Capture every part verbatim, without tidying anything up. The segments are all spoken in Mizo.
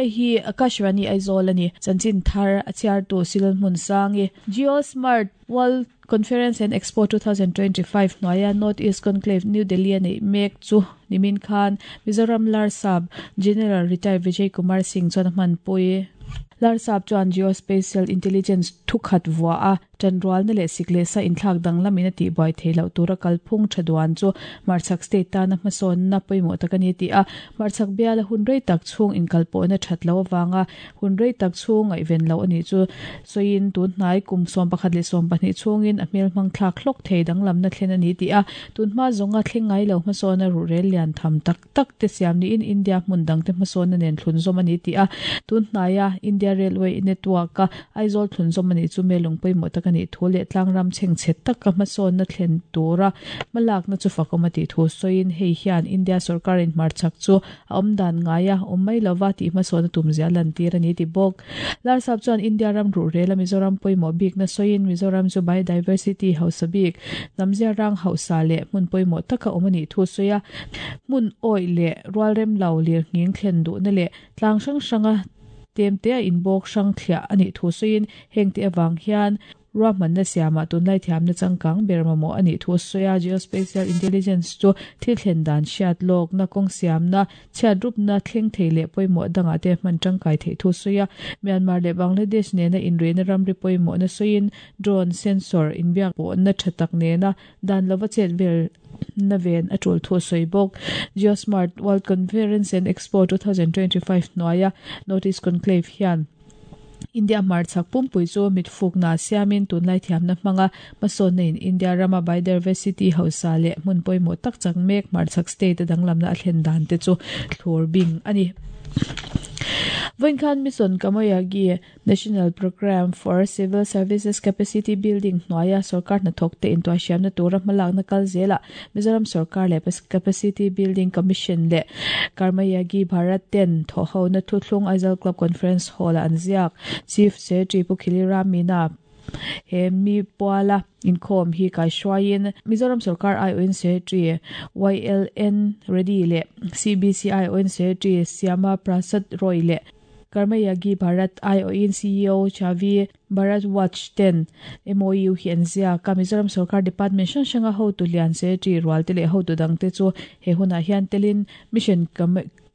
Hei hi Akashvani Aizawl ani chanchin thar a chhiar tu Silal hmun sangi Geosmart World Conference and Expo twenty twenty-five hnuaia North East Conclave New Delhi a neih mek chu nimin khan Mizoram Larsap General Retired Vijay Kumar Singh chuan a hmanpui. Larsap chuan Geospatial Intelligence thukhat vua a tanrual na leh sik leh sa inthlak danglamin a tihbuai thei loh tura kalphung tha duan chu Hmarchhak state tana hmasawnna pawimawh tak a ni ti a. Hmarchhak biala hun rei tak chhung inkalpawhna that lo awanga hun rei tak chhung ngaihven lo ani chu sawiin, tun hnai kum sawm pakhat leh sawm pahnih chhungin a hmel hmang thlak hlawk thei danglamna thlen a ni ti a. Tun hma zawnga thleng ngai lo hmasawnna ruhrel lian tham tak tak te siam niin India hmun dang te hmasawnna nen thlun zawm a ni ti a. Tun hnaia India Railway Network a Aizawl thlun zawm ani chu melung pawimawh tak ani thu leh tlangram chheng chhe taka hmasawnna thlen tura hmalakna chu fakawm a tih thu sawiin, hei hian India sorkarin hmarchhak chu a awm dan ngaia awm mai lova tih hmasawnna tumzia lan tir ani ti bawk. Larsap chuan India ram ruhrel a Mizoram pawimawh bik na sawiin, Mizoram chu biodiversity hausa bik, namzia rang hausa leh hmun pawimawh taka awm ani thu sawi a. Hmun awi leh rualrem lo lir nghing thlen duhna leh tlang hrang hranga temte a inbawk hrang thliah ani thu sawiin, heng te awang hian ruahmanna siama tunlai thiamna changkang ber mamawh ani thu sawi a. Geospatial intelligence chu thil thlen dan hriat lawk na kawng siamna, chhiat rupna thleng thei leh pawimawh dangah te hman tangkai thei thu sawi a. Myanmar leh Bangladesh nena inrina ramri pawimawh na sawiin, drone sensor inbiak pawh na tha tak nena dan lova chet vel na ven a tul thu sawi bawk. Geosmart World Conference and Expo twenty twenty-five hnuaia North East Conclave hian India hmarchhak pumpui chu mitfuk na siamin tunlai thiamna hmanga hmasawnna in India rama biodiversity hausa leh hmun pawimawh tak chak mek hmarchhak state a danglamna a thlen dan te chu thlur bing ani. Voinkhan Mission Karmayogi National Program for Civil Services Capacity Building hnuaia sarkar hnathawk te intuahhriamna tura hmalakna kal zela Mizoram sarkar leh Capacity Building Commission leh Karmayogi Bharat ten thawhhona thuthlung Aizawl Club Conference Hall a an ziak. Chief Secretary Pu Khili Ram Meena he mi puala inkhawm hi kai hruaiin Mizoram sarkar I O N Secretary Y L N Reddy leh C B C I O N Secretary Syama Prasad Roy leh Karmayogi Bharat I O N C E O Chavi Bharadwaj ten M O U hi an ziak a. Mizoram sarkar department hrang hranga hotu lian, secretary rual te leh hotu dang te chu he hunah hian telin Mission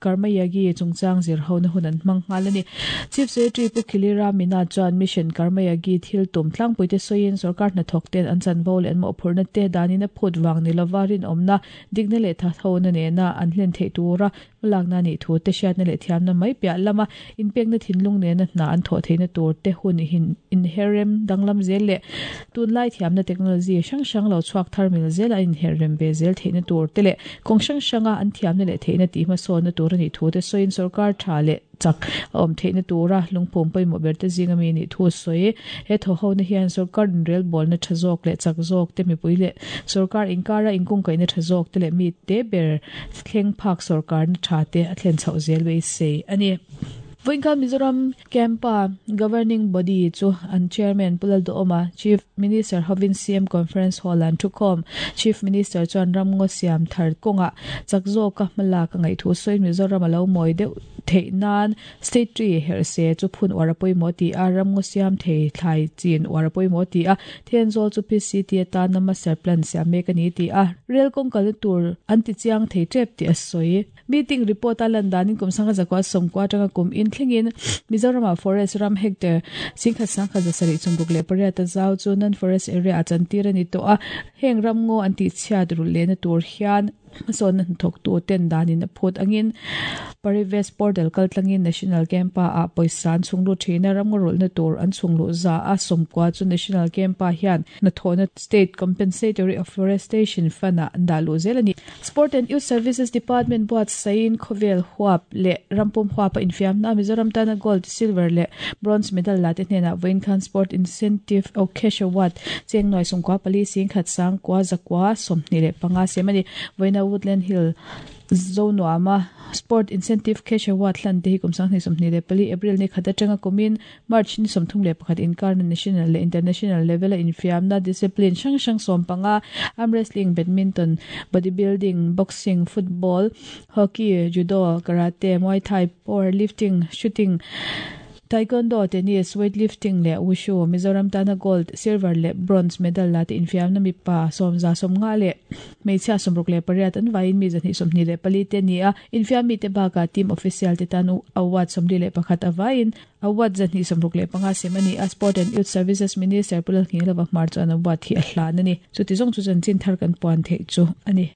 Karmayogi chungchang zir ho na hun an hmang nghal ani. Chief Secretary Pu Khili Ram Meena chuan Mission Karmayogi thil tum tlangpui te sawiin, sarkar hnathawk ten an chanvo leh an mawhphurhna te danin a phut wang ni lova rinawmna, dikna leh tha tho na nena an hlen theih tura hmalakna ni thu te, hriatna leh thiamna mai piah lama inpekna thinlung nena hna an thawh theihna tur te, hun hin inherem danglam zel leh tunlai thiamna technology hrang hrang lo chhuak thar mil zel a inherem ve zel theihna tur te leh kawng hrang hranga an thiamna leh theihna tih hmasawnna tur ani thu te sawiin, sarkar tha leh chak a awm theihna tura lungphum pawimawh ber te zinga mi ni thu sawi. He thaw ho na hian sarkar in rel bawlna tha zawk leh chak zawk te, mipui leh sarkar inkara inkung kaina tha zawk te leh mi te ber thleng phak sarkar na tha te a thlen chhoh zel beisei ani. Voinkhan Mizoram Campa Governing Body chu an chairman Pu Lalduhoma, Chief Minister hovin C M Conference Hall an thukhawm. Chief Minister chuan ramngaw siam thar kawnga chak zawka hmalak a ngaih thu sawiin, Mizoram a lo mawi deuh theih nan state tree herh se chu phun uar a pawimawh ti a, ramngaw siam thei thlai chin uar a pawimawh ti a, Thenzawl chu P C T atana master plan siam mek ani ti a, rail kawng kalna tur an ti chiang thei tep ti a sawi. Meeting report a lan danin kum sangha zakwa sawmkua atanga kum in thlengin Mizorama forest ram hectare singkhat sangkhat zasarih chumruk leh pariat a zau chu non forest area a chantir ani tawh a. Heng ramngaw an tih chhiat rul lehna tur hian hmasawnna hnathawk tu ten danin a phut angin Parivesh portal kaltlangin National Campa ah pawisa an chhunglu thina. Ramngaw rulna tur an chhunglu za a sawmkua chu National Campa hian hnathawhna State Compensatory Afforestation Fund ah an dah luh zel ani. Sport and Youth Services Department buat sain khawvel huap leh rampum huap a infiamna Mizoram tana gold, silver leh bronze medal la te hnenah vawiin khan Sport Incentive o Cash Award cheng nuai sawmkua pali singkhat sang kwa zakwa sawmhnih leh panga sem ani. Vawiina Woodland Hill Zonuama Sport Incentive Cash Award hlan te hi kum sanghnih sawmhnih leh pali April ni khat atanga kumin March ni sawmthum leh pakhat inkar national leh international level a infiamna discipline hrang hrang sawm panga arm wrestling, badminton, bodybuilding, boxing, football, hockey, judo, karate, muay thai, powerlifting, shooting, taekwondo, tennis, weightlifting leh wushu. Mizoram tana gold, silver leh bronze medal la te infiamna mipa sawmza sawmnga leh hmeichhia sawmruk leh pariat an vaiin mi zahnih sawmhnih leh pali te ni a. Infiam mi te baka team official te tan award sawmli leh pakhat avaiin award zahnih sawmruk leh panga sem ani a. Sport and Youth Services Minister Pu Lalnghinglova Hmar chuan award hi a hlan ani. Chuti zawng chu chanchin thar kan puan theih chu ani.